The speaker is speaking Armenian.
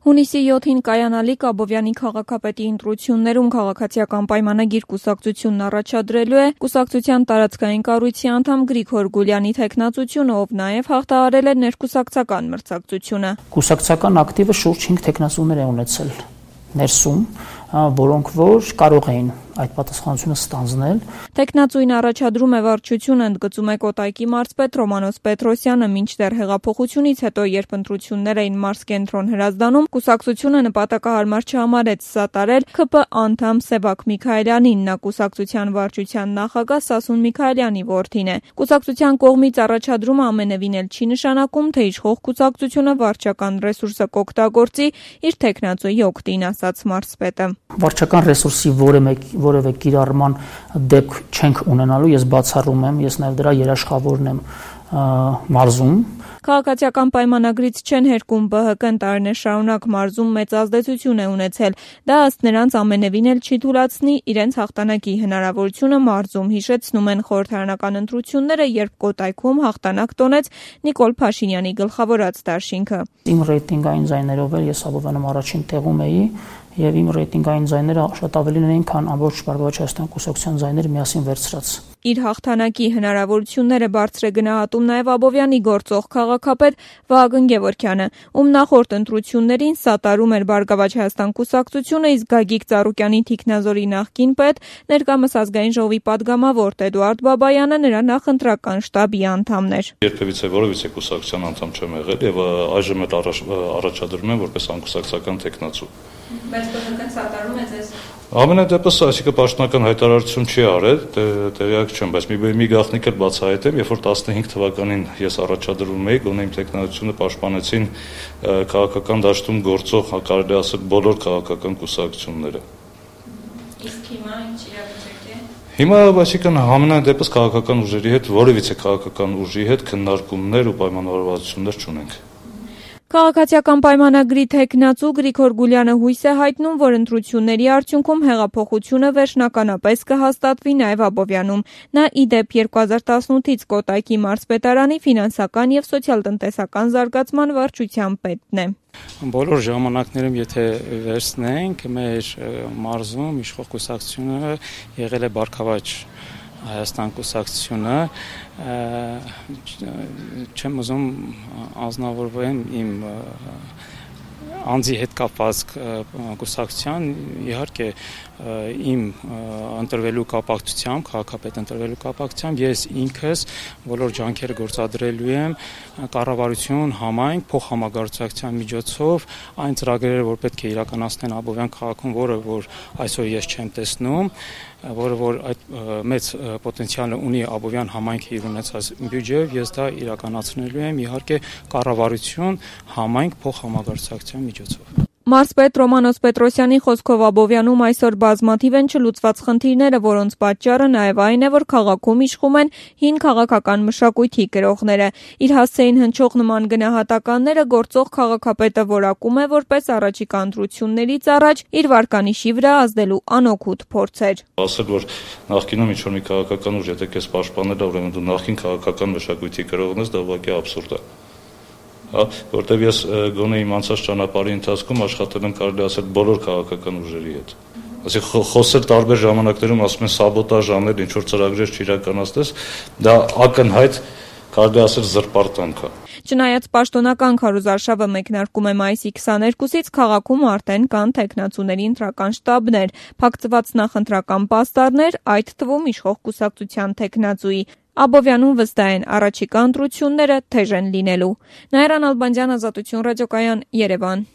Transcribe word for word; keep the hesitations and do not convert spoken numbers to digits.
Հունիսի յոթին կայանալիք Աբովյանի քաղաքապետի ընտրություններում քաղաքացիական պայմանագիր կուսակցությունն առաջադրելու է կուսակցության տարածքային կառույցի անդամ Գրիգոր Գուլյանի թեկնածությունը, ով նաև հաղթահարել է ներկուսակցական մրցակցությունը։ Կուսակցական ակտիվը շուրջ հինգ թեկնածուներ է ունեցել ներսում, որոնք որ կարող էին այդ պատասխանատվությունը ստանձնել։ Թեկնածուին առաջադրում է վարչությունը, ընդգծում է Կոտայքի մարզպետ Ռոմանոս Պետրոսյանը, մինչդեռ հեղափոխությունից հետո, երբ ընտրություններ էին մարզկենտրոն Հրազդանում, կուսակցությունը նպատակահարմար չհամարեց սատարել ՔՊ անդամ Սևակ Միքայելյանին, նա կուսակցության վարչության նախագահ Սասուն Միքայելյանի որդին է։ Կուսակցության կողմից առաջադրումը ամենևին էլ չի նշանակում, թե իշխող կուսակցությունը վարչական ռեսուրսը կօգտագործի իր թեկնածուի օգտին, ասաց մարզպետը։ Վարչական ռեսուրսի որևէ կիրառման դեպք չենք ունենալու, ես բացառում եմ, ես նաև դրա երաշխավորն եմ մարզում։ Քաղաքացիական պայմանագրից չեն հերկում ԲՀԿ-ն տարիներ շարունակ մարզում մեծ ազդեցություն է ունեցել, դա ըստ նրանց ամենևին էլ չի թույլատնի իրենց հաղթանակի հնարավորությունը մարզում, հիշեցնում են խորհրդարանական ընտրությունները, երբ Կոտայքում հաղթանակ տոնեց Նիկոլ Փաշինյանի գլխավորած դաշինքը։ Իմ ռեյտինգային ձայներով էլ ես Աբովյանում առաջին տեղում էի եւ իմ ռեյտինգային ձայները շատ ավելին էին, քան ամբողջ Բարգավաճ Հայաստան կուսակցության ձայները միասին վերցրած։ Իր հաղթանակի հնարավորությունները բարձր է գնահատում նաև Աբովյանի գործող քաղաքապետ Վահագն Գևորգյանը, ում նախորդ ընտրություններին սատարում էր Բարգավաճ Հայաստան կուսակցությունը, իսկ Գագիկ Ծառուկյանի թիկնազորի նախկին պետ, ներկայումս ազգային ժողովի падգամավոր Էդուարդ Բաբայանը նրա նախընտրական շտաբի անդամն էր։ Երբևիցե որևիցե կուսակցության անդամ չեմ եղել եւ այժմ էլ առաջադրում եմ որպես անկուսակցական թեկնածու։ Բայց ԲՀԿ-ն սատարում է ձեզ։ Ամենադեպս, այսինքն պաշտոնական հայտարարություն չի արել, տեղյակ չեմ, բայց մի մի գաղտնիք էլ բացահայտեմ, երբ որ տասնհինգ թվականին ես առաջադրում էի, գոնե իմ թեկնածությունը պաշտպանեցին քաղաքական դաշտում գործող, կարելի ասել, բոլոր քաղաքական կուսակցությունները։ Իսկ հիմա ինչ իրավիճակ է։ Հիմա, այսինքն, ամենադեպս քաղաքական ուժերի հետ, որևիցե քաղաքական ուժի հետ քննարկումներ ու պայմանավորվածություններ չունենք։ Քաղաքացիական պայմանագրի թեկնածու Գրիգոր Գուլյանը հույս է հայտնում, որ ընտրությունների արդյունքում հեղափոխությունը վերջնականապես կհաստատվի նաև Աբովյանում։ Նա ի դեպ երկու հազար տասնութից Կոտայքի մարզպետարանի ֆինանսական եւ սոցիալ-տնտեսական զարգացման վարչության պետն է։ Բոլոր ժամանակներում, եթե վերցնենք, մեր մարզում իշխող կուսակցությունը եղել է Բարգավաճ Հայաստան կուսակցությունը, չեմ ուզում անձնավորվեմ իմ անձի հետ կապված կուսակցության, իհարկե իմ ընտրվելու կապակցությամբ, քաղաքապետ ընտրվելու կապակցությամբ ես ինքս բոլոր ջանքերը գործադրելու եմ կառավարություն, համայնք, փոխհամագործակցության միջոցով այն ծրագրերը, որ պետք է իրականացնեն Աբովյան քաղաքում, որը որ այսօր ես չեմ տեսնում, որը որ այդ մեծ պոտենցիալը ունի Աբովյան համայնքը իր ունեցած բյուջեով, ես դա իրականացնելու եմ իհարկե կառավարություն, համայնք, փոխհամագործակցության միջոցով։ Մարզպետ Ռոմանոս Պետրոսյանի խոսքով Աբովյանում այսօր բազմաթիվ են չլուծված խնդիրները, որոնց պատճառը նաև այն է, որ քաղաքում իշխում են հին քաղաքական մշակույթի կրողները։ Իր հասցեին հնչող նման գնահատականները գործող քաղաքապետը որակում է որպես առաջիկա ընտրություններից առաջ իր վարկանիշի վրա ազդելու անօգուտ փորձեր։ Ասել, որ նախկինում ինչ-որ մի քաղաքական ուժ, եթե քեզ պաշտպանել է, ուրեմն դու նախկին քաղաքական մշակույթի կրողն ես, դա ուղղակի աբսուրդ է։ Որտեվ ես գոնե իմ անցած ճանապարհի ընթացքում աշխատել եմ, կարելի ասել, բոլոր քաղաքական ուժերի հետ։ Այսինքն խոսել տարբեր ժամանակներում, ասում են սաբոտաժ անել, ինչ որ ծրագրեր չիրականացնես, դա ակնհայտ, կարելի ասել, զրպարտանք է։ Չնայած պաշտոնական քարոզարշավը մեկնարկում է մայիսի քսաներկուսից, քաղաքում արդեն կան թեկնածուների ընտրական շտաբներ, փակցված նախընտրական պաստառներ, այդ թվում իշխող կուսակցության թեկնածուի։ Աբովյանում վստահ են առաջիկա ընտրությունները թեժ են լինելու։ Նաիրա Նալբանդյան, Ազատություն ռադիոկայան, Երևան։